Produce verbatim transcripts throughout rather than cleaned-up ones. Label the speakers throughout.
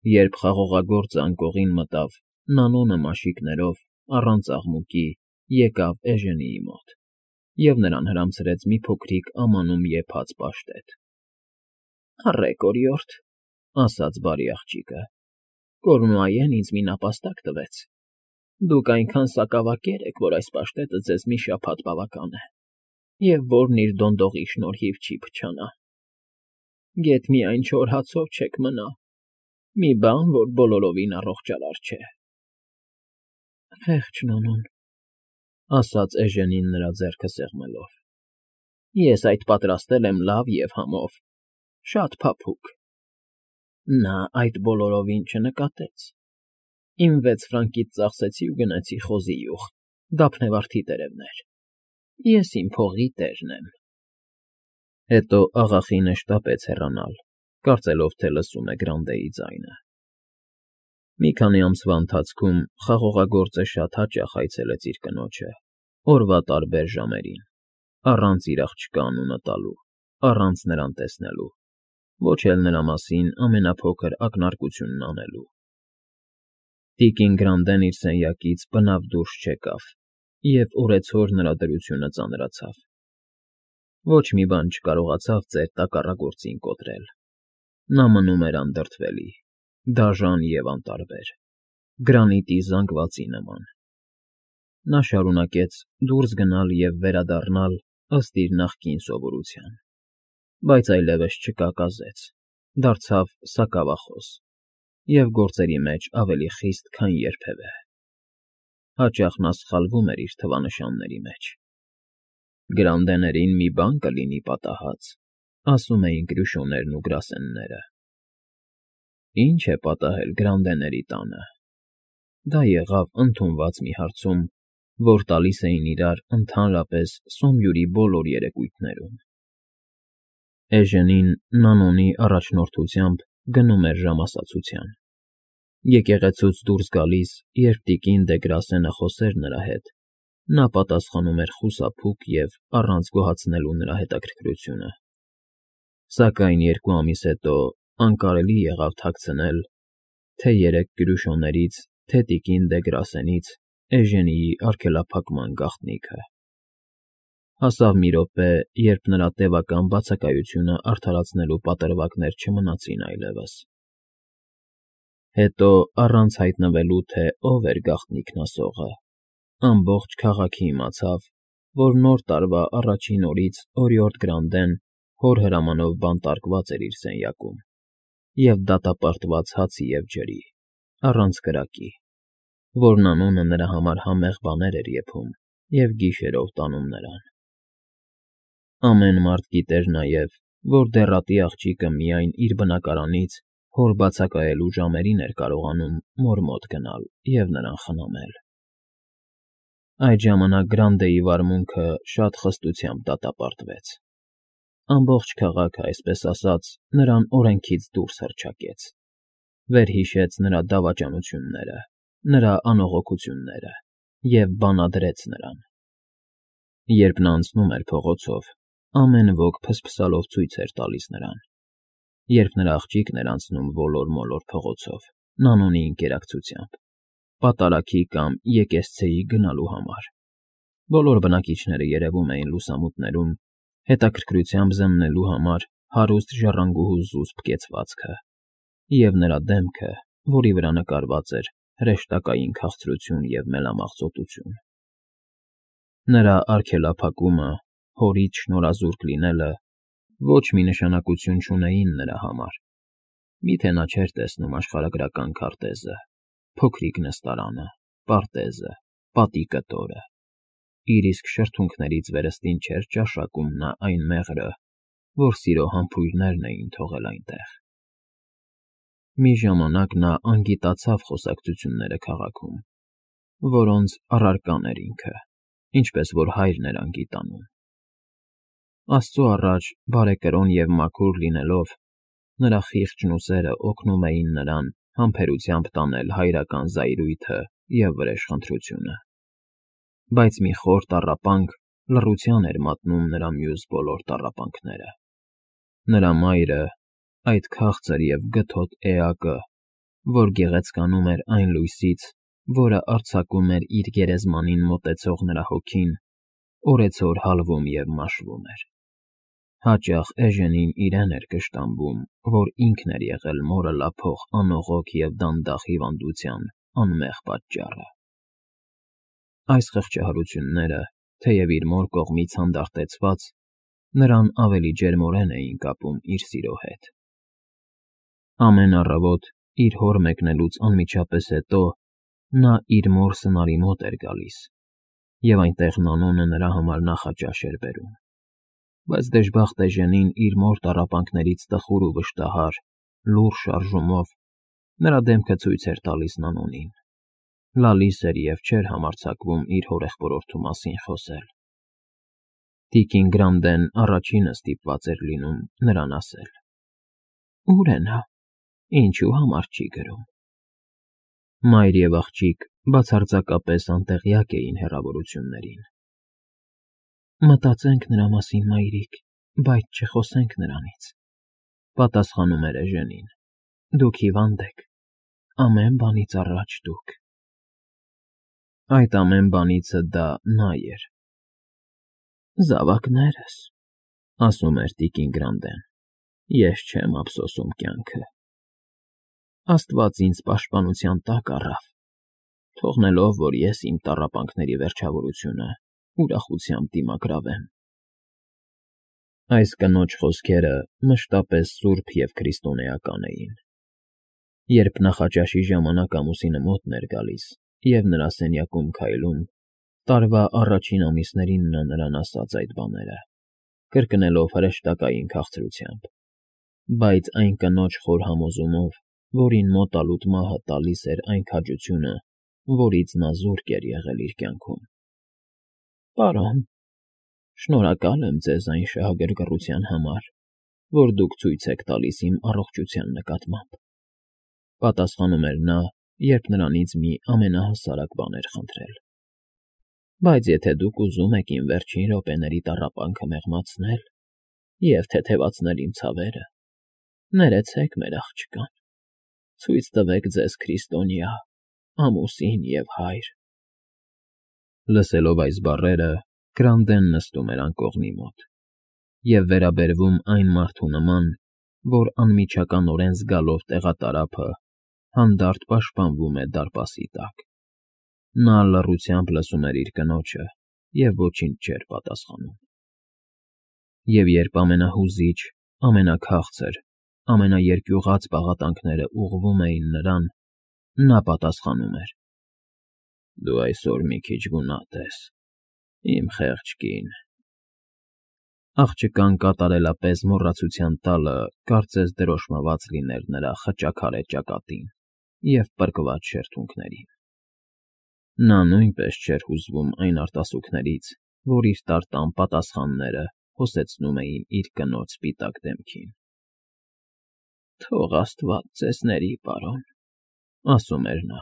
Speaker 1: Երբ խաղողագործը անկողին մտավ, Նանոնը մաշիկներով, առանց աղմուկի, եկավ Էժենիի մոտ և նրան հրամցրեց մի փոքրիկ ամանում եփած պաշտետ։ ֊ Առեք, օրիորդ,֊ ասաց բարի աղջիկը,֊ Կորնուայեն ինձ մի նապաստակ տվեց. դուք այնքան սակավակեր եք, որ այս պաշտետը ձեզ մի շաբաթ բավական է, և որն իր դոնդողի շնորհիվ չի փչանա։ Գեթ միայն չոր հացով չեք մնա, մի բան, որ բոլորովին առողջարար չէ։ ֊ Խեղճ Նոնուն,֊ ասաց Էժենին նրա ձեռքը սեղմելով,֊ ես այդ պատրաստել եմ լավ և համով, շատ փափուկ։ Նա այդ բոլորովին չնկատեց. իմ վեց ֆրանկից ծախսեցի ու գնացի խոզի յուղ, դափնեվարդի տերևներ, ես իմ փողի տերն եմ… Հետո աղախինը շտապեց հեռանալ, կարծելով, թե լսում է Գրանդեի ձայնը։ Մի քանի ամսվա ընթացքում խաղողագործը շատ հաճախ այցելեց իր կնոջը, օրվա տարբեր ժամերին, առանց իր աղջկա անունը տալու, առանց նրան տեսնելու, ոչ էլ նրա մասին ամենափոքր ակնարկությունն անելու։ Տիկին Գրանդեն իր սենյակից բնավ դուրս չեկավ, և օրեցօր նրա դրությունը ծանրացավ։ Ոչ մի բան չկարողացավ ծեր տակառագործին կոտրել. նա մնում էր անդրդվելի, դաժան և անտարբեր, գրանիտի զանգվածի նման։ Նա շարունակեց դուրս գնալ և վերադառնալ ըստ իր նախկին սովորության, բայց այլևս չկակազեց, դարձավ սակավախոս և գործերի մեջ ավելի խիստ, քան երբևէ։ Հաճախ նա սխալվում էր իր թվանշանների մեջ։ Գրանդեներին մի բան կլինի պատահած, ասում էին Կրյուշոներն ու գրասենները։ Ի՞նչ է պատահել Գրանդեների տանը։ Դա եղավ ընդունված մի հարցում, որ տալիս էին իրար ընդհանրապես Սոմյուրի բոլոր երեկույթներում։ Էժենին Նանոնի առաջնորդությամբ գնում էր ժամասացության։ Եկեղեցուց դուրս գալիս, երբ տիկին դե Գրասենը խոսեր նրա հետ, նա պատասխանում էր խուսափուկ և առանց գոհացնելու նրա հետաքրքրությունը։ Սակայն երկու ամիս հետո անկարելի եղավ թաքցնել թե՛ երեք Կրյուշոներից, թե՛ տիկին դե Գրասենից Էժենիի արգելափակման գաղտնիքը։ Հասավ մի րոպե, երբ նրա տևական բացակայությունը արդարացնելու պատրվակներ չմնացին այլևս։ Հետո, առանց հայտնվելու, թե ով էր գաղտնիքն ասողը, ամբողջ քաղաքը իմացավ, որ Նոր տարվա առաջին օրից օրիորդ Գրանդեն հոր հրամանով բանտարկված էր իր սենյակում և դատապարտված հացի և ջրի, առանց կրակի, որ Նանոնը նրա համար համեղ բաներ էր եփում և գիշերով տանում նրան։ Ամեն մարդ գիտեր նաև, որ դեռատի աղջիկը միայն իր բնակարանից հոր բացակայելու ժամերին էր կարողանում մոր մոտ գնալ և նրան խնամել։ Այդ ժամանակ Գրանդեի վարմունքը շատ խստությամբ դատապարտվեց։ Ամբողջ քաղաքը, այսպես ասած, նրան օրենքից դուրս հռչակեց, վերհիշեց նրա դավաճանությունները, նրա անողոքությունները և բանադրեց նրան։ Երբ նա անցնում էր փողոցով, ամեն ոք փսփսալով ցույց էր տալիս նրան։ Երբ նրա աղջիկն էր անցնում ոլոր֊մոլոր փողոցով, Նանոնի ընկերակցությամբ, պատարագի կամ եկեսցեի գնալու համար, բոլոր բնակիչները երևում էին լուսամուտներում, հետաքրքրությամբ զննելու համար հարուստ ժառանգուհու զուսպ կեցվածքը և նրա դեմքը, որի վրա նկարված էր հրեշտակային քաղցրություն և մելամաղձոտություն։ Նրա արգելափակումը, հորից շնորհազուրկ լինելը ոչ մի նշանակություն չունեին նրա համար, միթե նա չէր տեսնում աշխարհագրական քարտեզը, փոքրիկ նստարանը, պարտեզը, պատի կտորը, իր իսկ շրթունքներից վերստին չէր ճաշակում նա այն մեղրը, որ սիրո համբույրներն էին թողել այնտեղ։ Մի ժամանակ նա անգիտացավ խոսակցությունները քաղաքում, որոնց առարկան էր ինքը, ինչպես որ հայրն էր անգիտանում։ Աստծու առաջ բարեկրոն և մաքուր լինելով, նրա խիղճն ու սերը օգնում էին նրան համբերությամբ տանել հայրական զայրույթը և վրեժխնդրությունը։ Բայց մի խոր տառապանք լռության էր մատնում նրա մյուս բոլոր տառապանքները։ Նրա մայրը, այդ քաղցր և գթոտ էակը, որ գեղեցկանում էր այն լույսից, որը արձակում էր իր գերեզմանին մոտեցող նրա հոգին, օրեցօր հալվում և մաշվում էր։ Հաճախ Էժենին իրեն էր կշտամբում, որ ինքն էր եղել մորը լափող անողոք և դանդաղ հիվանդության անմեղ պատճառը։ Այս խղճահարությունները, թեև իր մոր կողմից հանդարտեցված, նրան ավելի ջերմորեն էին կապում իր սիրո հետ։ Ամեն առավոտ, իր հոր մեկնելուց անմիջապես հետո, նա իր մոր սնարի մոտ էր գալիս, և այնտեղ Նանոնը նրա համար նախաճաշ էր բերում։ Բայց դժբախտ Էժենին իր մոր տառապանքներից տխուր ու վշտահար, լուռ շարժումով նրա դեմքը ցույց էր տալիս Նանոնին, լալիս էր և չէր համարձակվում իր հորեղբորորդու մասին խոսել։ Տիկին Գրանդեն առաջինը ստիպված էր լինում նրան ասել. «Ո՞ւր է նա, ինչու համար չի գրում»։ Մայր և աղջիկ բացարձակապես անտեղյակ էին հեռավորություններին։ «Մտածենք նրա մասին, մայրիկ, բայց չխոսենք նրանից», պատասխանում էր Էժենին։ «Դուք հիվանդ եք, ամեն բանից առաջ դուք»։ Այդ ամեն բանիցը դա նա էր։ «Զավակներս», ասում էր տիկին Գրանդեն, «ես չեմ ափսոսում կյանքը։ Աստված ինձ պաշտպանության տակ առավ, թողնելով, որ ես իմ տառապանքների վերջավորությունը ուրախությամբ դիմագրավեմ»։ Այս կնոջ խոսքերը մշտապես սուրբ և քրիստոնեական էին։ Երբ նախաճաշի ժամանակ ամուսինը մոտն էր գալիս և նրա սենյակում քայլում, տարվա առաջին ամիսներին նա նրան ասաց այդ բաները, կրկնելով հրեշտակային քաղցրությամբ, բայց այն կնոջ խոր համոզումով, որին մոտալուտ մահը տալիս էր այն քաջությունը, որից նա զուրկ էր եղել իր կյանքում։ «Պարոն, շնորհակալ եմ ձեզ այն շահագրգռության համար, որ դուք ցույց եք տալիս իմ առողջության նկատմամբ», պատասխանում էր նա, երբ նրանից մի ամենահասարակ բան էր խնդրել։ «Բայց եթե դուք ուզում եք իմ վերջին րոպեների տառապանքը մեղմացնել և թեթևացնել իմ ցավերը, ներեցեք մեր աղջկան, ցույց տվեք ձեզ քրիստոնյա, ամուսին և հայր»։ Լսելով այս բառերը, Գրանդեն նստում էր անկողնի մոտ և վերաբերվում այն մարդու նման, որ անմիջականորեն զգալով տեղատարափը, հանդարտ պաշտպանվում է դարպասի տակ։ Նա լռությամբ լսում էր իր կնոջը և ոչինչ չէր պատասխանում։ Եվ երբ ամենահուզիչ, ամենաքաղցր, ամենաերկյուղած պաղատանքները ուղղվում էին նրան, նա պատասխանում էր. «Դու այսօր մի քիչ գունատ ես, իմ խեղճ կին»։ Աղջկան կատարելապես մոռացության տալը կարծես դրոշմված լիներ նրա խճաքարե ճակատին և պրկված շրթունքներին։ Նա նույնպես չէր հուզվում այն արտասուքներից, որ իր տարտան պատասխանները հոսեցնում էին իր կնոջ սպիտակ դեմքին։ «Թող աստված ձեզ ների, պարոն», ասում էր նա,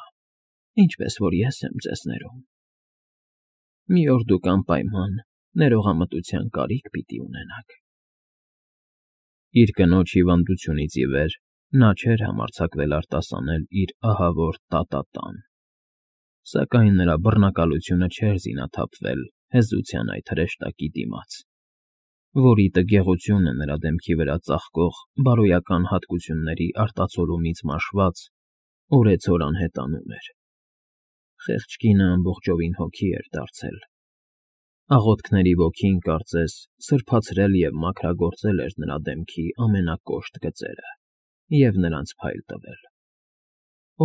Speaker 1: «ինչպես որ ես եմ ձեզ ներում։ Մի օր դուք անպայման ներողամտության կարիք պիտի ունենաք»։ Իր կնոջ հիվանդությունից ի վեր նա չէր համարձակվել արտասանել իր ահավոր տա֊տա֊տան, սակայն նրա բռնակալությունը չէր զինաթափվել հեզության այդ հրեշտակի դիմաց, որի տգեղությունը նրա դեմքի վրա ծաղկող բարոյական հատկությունների արտացոլումից մաշված, օրեցօր անհետանում էր։ Խեղճ կինը ամբողջովին հոգի էր դարձել։ Աղոթքների ոգին, կարծես, սրբացրել և մաքրագործել էր նրա դեմքի ամենակոշտ գծերը և նրանց փայլ տվել։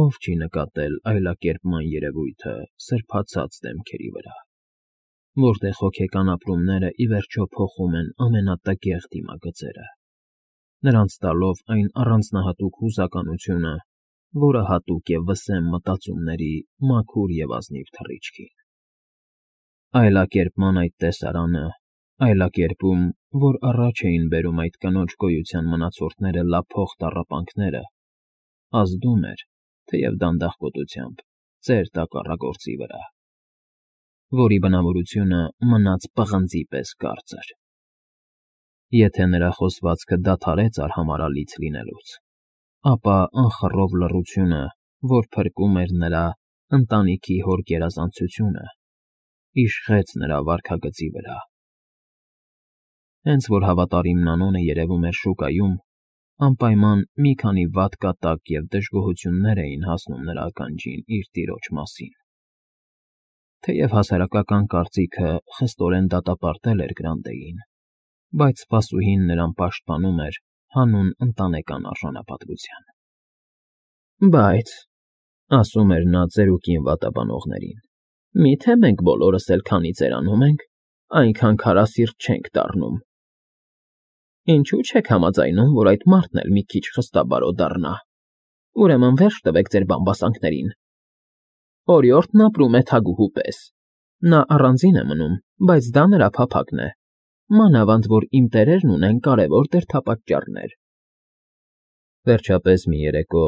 Speaker 1: Ո՞վ չի նկատել այլակերպման երևույթը սրբացած դեմքերի վրա, որտեղ հոգեկան ապրումները ի վերջո փոխում են ամենատգեղ դիմագծերը, նրանց տալով այն առանձնահատուկ հուզականությունը, որը հատուկ է վսեմ մտածումների մաքուր և ազնիվ թռիչքին։ Այլակերպման այդ տեսարանը, այլակերպում, որ առաջ էին բերում այդ կնոջ գոյության մնացորդները լափող տառապանքները, ազդում էր, թեև դանդաղկոտությամբ, ծեր տակառագործի վրա, որի բնավորությունը մնաց պղնձի պես կարծր։ Եթե նրա խոսվածքը դադարեց արհամարհալից լինելուց, ապա անխռով լռությունը, որ փրկում էր նրա ընտանիքի հոր գերազանցությունը, իշխեց նրա վարքագծի վրա։ Հենց որ հավատարիմ Նանոնը երևում էր շուկայում, անպայման մի քանի վատ կատակ և դժգոհություններ էին հասնում նրա ականջին իր տիրոջ մասին։ Թեև հասարակական կարծիքը խստորեն դատապարտել էր Գրանտեին, բայց սպասուհին նրան պաշտպանում էր հանուն ընտանեկան արժանապատվության։ Բայց, ասում էր նա ծերուկին վատաբանողներին, միթե մենք բոլորս էլ քանի ծերանում ենք, այնքան քարասիրտ չենք դառնում։ Ինչո՞ւ չեք համաձայնում, որ այդ մարդն էլ մի քիչ խստաբարո դառնա։ Ուրեմն վերջ տվեք ձեր բամբասանքներին։ Օրիորդն ապրում է թագուհու պես։ Նա առանձին է մնում, բայց դա նրա փափագն է, մանավանդ որ իմ տերերն ունեն կարևոր դերդապատճառներ։ Վերջապես մի երեկո,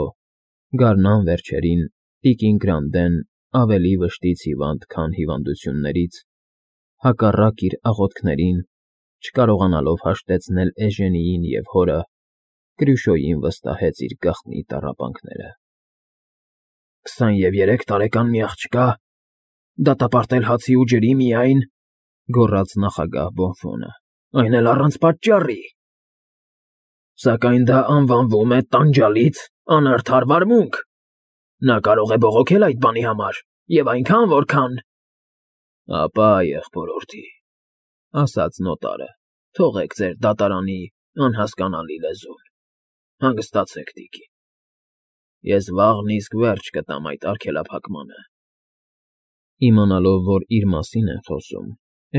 Speaker 1: գարնան վերջերին, տիկին Գրանդեն ավելի վշտից հիվանդ, քան հիվանդություններից, հակառակ իր աղոթքներին, չկարողանալով հաշտեցնել Էժենիին և հորը, Կրյուշոյին վստահեց իր գաղտնի տառապանքները։ «Քսաներեք տարեկան մի աղջկա, դատապարտել հացի ու ջրի միայն,֊ գոռաց նախագահ Բոնֆոնը,֊ այն էլ առանց պատճառի… Սակայն դա անվանվում է տանջալից անարդար վարմունք… Նա կարող է բողոքել այդ բանի համար, և այնքան, որքան…»։ Ապա, եղբորորդի,֊ ասաց նոտարը,֊ թողեք ձեր դատարանի անհասկանալի լեզուն… Հանգստացեք, տիկին… Ես վաղն իսկ վերջ կտամ այդ արգելափակմանը… Իմանալով, որ իր մասին են խոսում,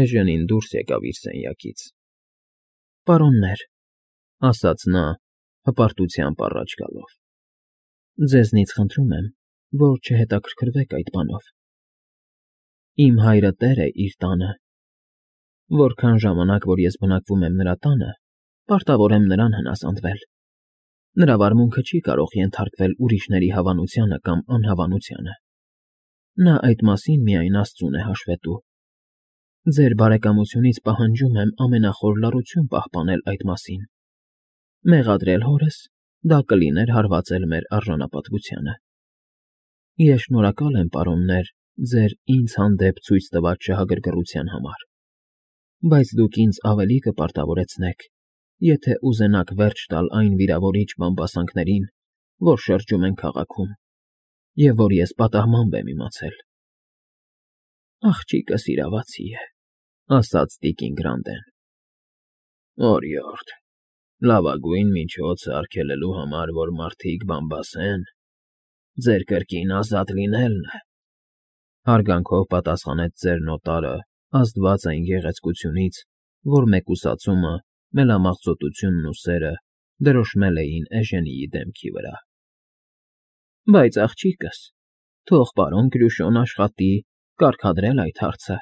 Speaker 1: Էժենին դուրս եկավ իր սենյակից։ ֊ Պարոններ,֊ ասաց նա, հպարտությամբ առաջ գալով,֊ ձեզնից խնդրում եմ, որ չհետաքրքրվեք այդ բանով… Իմ հայրը տեր է իր տանը… Որքան ժամանակ, որ ես բնակվում եմ նրա տանը, պարտավոր եմ նրան հնազանդվել… Նրա վարմունքը չի կարող ենթարկվել ուրիշների հավանությանը կամ անհավանությանը… Նա այդ մասին միայն աստծուն է հաշվետու… Ձեր բարեկամությունից պահանջում եմ ամենախոր լռություն պահպանել այդ մասին… Մեղադրել հորս՝ դա կլիներ հարվածել մեր արժանապատվությանը… Ես շնորհակալ եմ, պարոններ, ձեր ինձ հանդեպ ցույց տված շահագրգռության համար… Բայց դուք ինձ ավելի կպարտավորեցնեք, եթե ուզենաք վերջ տալ այն վիրավորիչ բամբասանքներին, որ շրջում են քաղաքում, և որ ես պատահմամբ եմ իմացել… ֊ Աղջիկս իրավացի է,֊ ասաց տիկին Գրանդեն։ ֊ Օրիորդ, լավագույն միջոցը արգելելու համար, որ մարդիկ բամբասեն, ձեր կրկին ազատ լինելն է,֊ հարգանքով պատասխանեց ծեր նոտարը, ազդված այն գեղեցկությունից, որ մեկուսացումը, մելամաղձոտությունն ու սերը դրոշմել էին Էժենիի դեմքի վրա։ ֊ Բայց, աղջիկս, թող պարոն Կրյուշոն աշխատի կարգադրել այդ հարցը…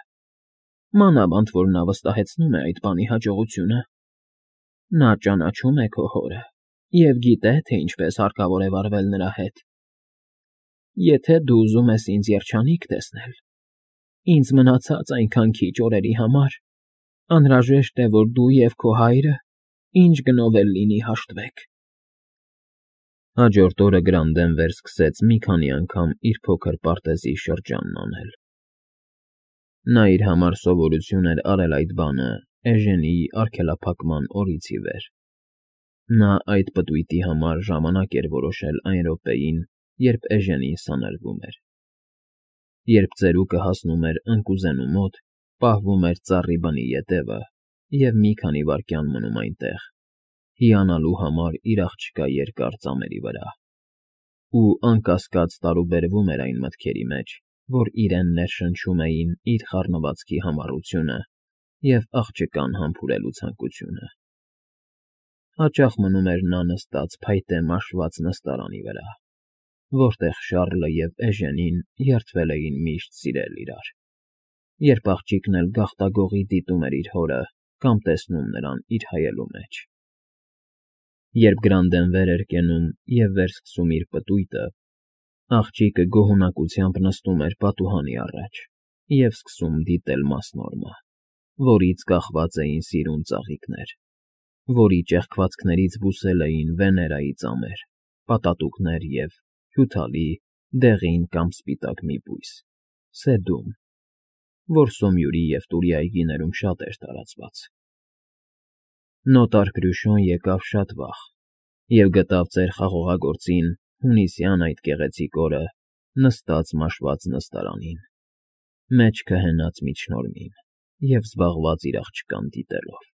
Speaker 1: Մանավանդ որ նա վստահեցնում է այդ բանի հաջողությունը… Նա ճանաչում է քո հորը և գիտե, թե ինչպես հարկավոր է վարվել նրա հետ… Եթե դու ուզում ես ինձ երջանիկ տեսնել, ինձ մնացած այնքան քիչ օրերի համար, անհրաժեշտ է, որ դու և քո հայրը, ինչ գնով էլ լինի, հաշտվեք… Հաջորդ օրը Գրանդեն վերսկսեց մի քանի անգամ իր փոքր պարտեզի շրջանն անել… Նա իր համար սովորություն էր արել այդ բանը Էժենիի արգելափակման օրից ի վեր… Նա այդ պտույտի համար ժամանակ էր որոշել այն րոպեին, երբ Էժենին սանրվում էր… Երբ ծերուկը հասնում էր ընկուզենու մոտ, պահվում էր ծառի բնի ետևը և մի քանի վայրկյան մնում այնտեղ, հիանալու համար իր աղջկա երկար ծամերի վրա… Ու անկասկած տարուբերվում էր այն մտքերի մեջ, որ իրեն ներշնչում էին իր խառնվածքի համառությունը և աղջկան համբուրելու ցանկությունը… Հաճախ մնում էր նա նստած փայտե մաշված նստարանի վրա, որտեղ Շառլը և Էժենին երդվել էին միշտ սիրել իրար, երբ աղջիկն էլ գաղտագողի դիտում էր իր հորը կամ տեսնում նրան իր հայելու մեջ… Երբ Գրանդեն վեր էր կենում և վերսկսում իր պտույտը, աղջիկը գոհունակությամբ նստում էր պատուհանի առաջ և սկսում դիտել մասնորմը, որից կախված էին սիրուն ծաղիկներ, որի ճեղքվածքներից բուսել էին Վեներայի ծամեր, պատատուկներ և հյութալի, դեղին կամ սպիտակ մի բույս՝ սեդում, որ Սոմյուրի և Տուրի այգիներում շատ էր տարածված։ Նոտար Կրյուշոն եկավ շատ վաղ և գտավ ծեր խաղողագործին հունիսյան այդ գեղեցիկ օրը նստած մաշված նստարանին, մեջքը հենած միջնորմին և զբաղված իր աղջկան դիտելով։